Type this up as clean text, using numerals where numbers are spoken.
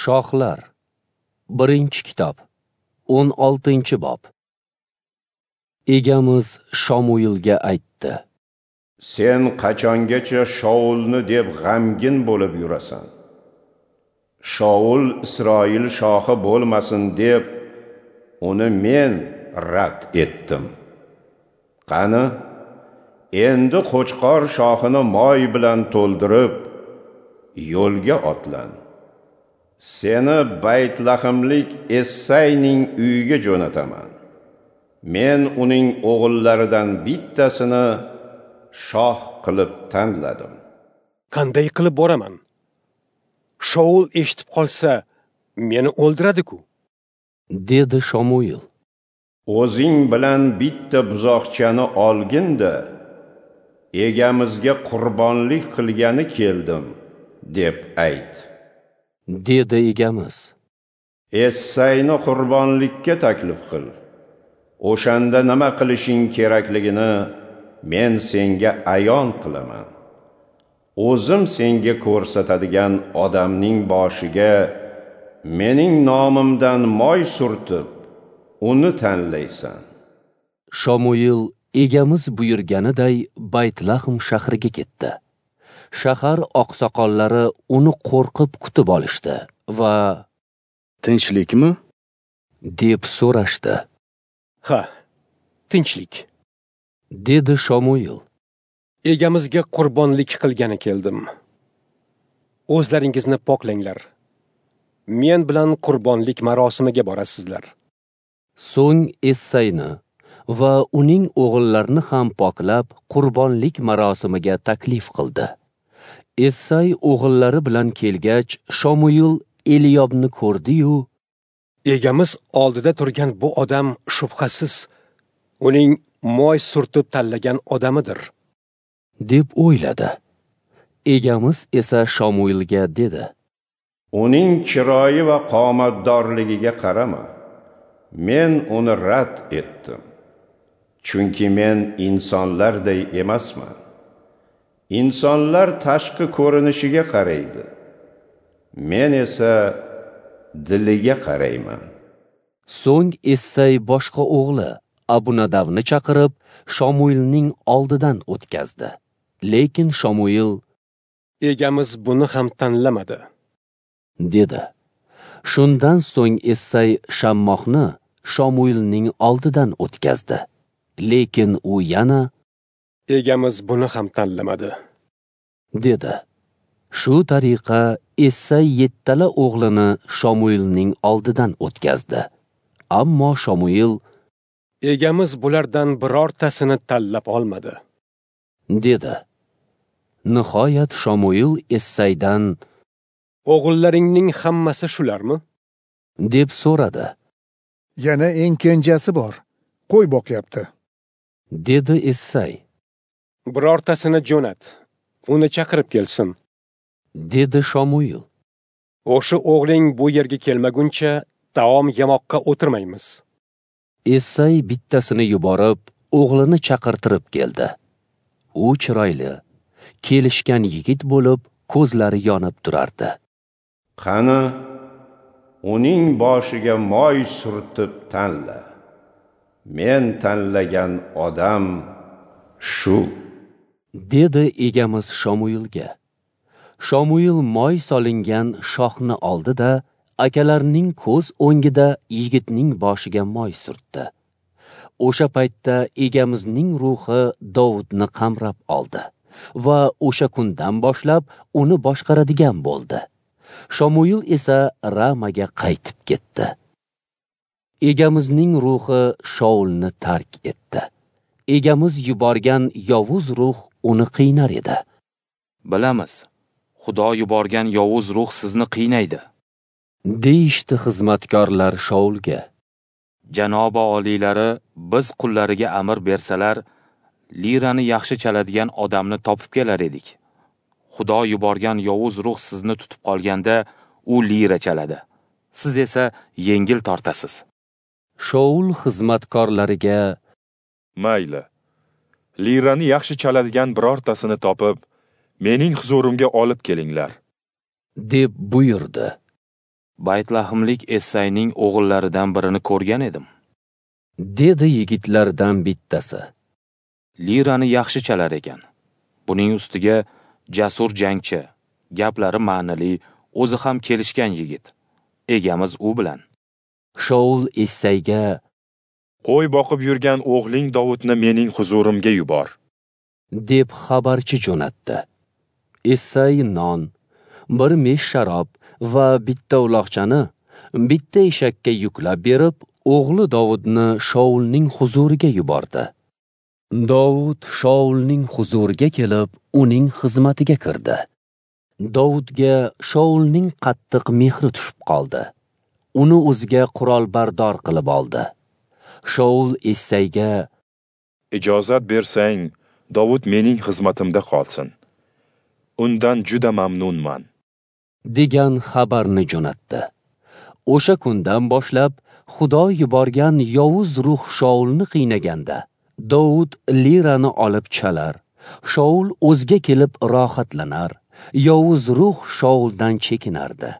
Shohlar, 1-kitob, 16-bob. Egamiz Shomuilga aytdi: Sen qachongacha Shaulni deb g'amgin bo'lib yurasan? Shaul Isroil shohi bo'lmasin deb uni men rad etdim. Qani, endi qo'chqor shoxini moy bilan to'ldirib, yo'lga otlan. Seni Baytlahimlik Essayning uyiga jo'nataman. Men uning o'g'illaridan bittasini shoh qilib tanladim. Qanday qilib boraman? Shaul eshitib qolsa, meni o'ldiradi-ku, dedi Shomuil. O'zing bilan bitta buzoqchani olgin-da, egamizga qurbonlik qilgani keldim, deb ayt, dedi egamiz. Essayni qurbonlikka taklif qil. O'shanda nima qilishing kerakligini men senga ayon qilaman. O'zim senga ko'rsatadigan odamning boshiga mening nomimdan moy surtib, uni tanlaysan. Shomuil egamiz buyurganiday Baytlahm shahriga ketdi. Shahar oqsoqollari uni qo'rqib kutib olishdi va "Tinchlikmi?" deb so'rashdi. Ha, tinchlik, dedi Shomuil. Egamizga qurbonlik qilgani keldim. O'zlaringizni poklanglar. Men bilan qurbonlik marosimiga borasizlar. So'ng Essayni va uning o'g'illarini ham poklab, qurbonlik marosimiga taklif qildi. Essay o'g'illari bilan kelgach, Shomuil Eliyobni ko'rdi-yu, "Egamiz oldida turgan bu odam shubhasiz uning moy surtib tanlagan odamidir", deb o'yladi. Egamiz esa Shomuilga dedi: "Uning chiroyi va qomatdorligiga qarama. Men uni rad etdim. Chunki men insonlarday emasman. Insonlar tashqi ko'rinishiga qaraydi. Men esa diliga qarayman." So'ng Essay boshqa o'g'li Abunadavni chaqirib, Shomuilning oldidan o'tkazdi. Lekin Shomuil: "Egamiz buni ham tanlamadi", dedi. Shundan so'ng Essay Shammohni Shomuilning oldidan o'tkazdi. Lekin u yana: "Egamiz buni ham tanlamadi", dedi. Shu tariqa Essay 7 o'g'lini Shomuilning oldidan o'tkazdi. Ammo Shomuil: "Egamiz bulardan birortasini tanlab olmadi", dedi. Nihoyat Shomuil Essaydan: "O'g'illaringning hammasi shularmi?" deb so'radi. "Yana eng kenjasi bor, qo'y boqyapti", dedi Essay. "Birortasini jo'nat, uni chaqirib kelsin", dedi Shomuil. "O'sha o'g'ling bu yerga kelmaguncha taom yemoqqa o'tirmaymiz." Essay bittasini yuborib, o'g'lini chaqirtirib keldi. U chiroyli, kelishgan yigit bo'lib, ko'zlari yonib turardi. "Qani, uning boshiga moy surtib tanla. Men tanlagan odam shu", dedi egamiz Shomuilga. Shomuil moy solingan shoxni oldi-da, akalarining ko'z o'ngida yigitning boshiga moy surtdi. O'sha paytda egamizning ruhi Dovudni qamrab oldi va o'sha kundan boshlab uni boshqaradigan bo'ldi. Shomuil esa Ramaga qaytib ketdi. Egamizning ruhi Shaulni tark etdi. Egamiz yuborgan yovuz ruh uni qiynar edi. "Bilamiz, Xudo yuborgan yovuz ruh sizni qiynaydi", deyishdi xizmatkorlar Shaulga. "Janobi oliylari biz qullariga amr bersalar, lirani yaxshi chaladigan odamni topib kelar edik. Xudo yuborgan yovuz ruh sizni tutib qolganda, u lira chaladi. Siz esa yengil tortasiz." Shaul xizmatkorlariga: "Mayli, lirani yaxshi chaladigan birortasini topib, mening huzurimga olib kelinglar", deb buyurdi. Baytlahimlik Essayning o'g'illaridan birini ko'rgan edim, dedi yigitlardan bittasi. Lirani yaxshi chalar ekan. Buning ustiga jasur jangchi, gaplari ma'nili, o'zi ham kelishgan yigit. Egamiz u bilan. Shaul Essayga: Qo'y boqib yurgan o'g'ling Dovudni mening huzurimga yubor, deb xabarchi jo'natdi. Essay non, bir mesh sharob va bitta uloqchani bitta eshakka yuklab berib, o'g'li Dovudni Shaulning huzuriga yubordi. Dovud Shaulning huzuriga kelib, uning xizmatiga kirdi. Dovudga Shaulning qattiq mehri tushib qoldi. Uni o'ziga qurolbardor qilib oldi. Shaul Essayga: Ijozat bersang, Dovud mening xizmatimda qolsin. Undan juda mamnunman, degan xabarni jo'natdi. O'sha kundan boshlab Xudo yuborgan yovuz ruh Shaulni qiynaganda, Dovud lirani olib chalar, Shaul o'ziga kelib rohatlanar, yovuz ruh Shauldan chekinardi.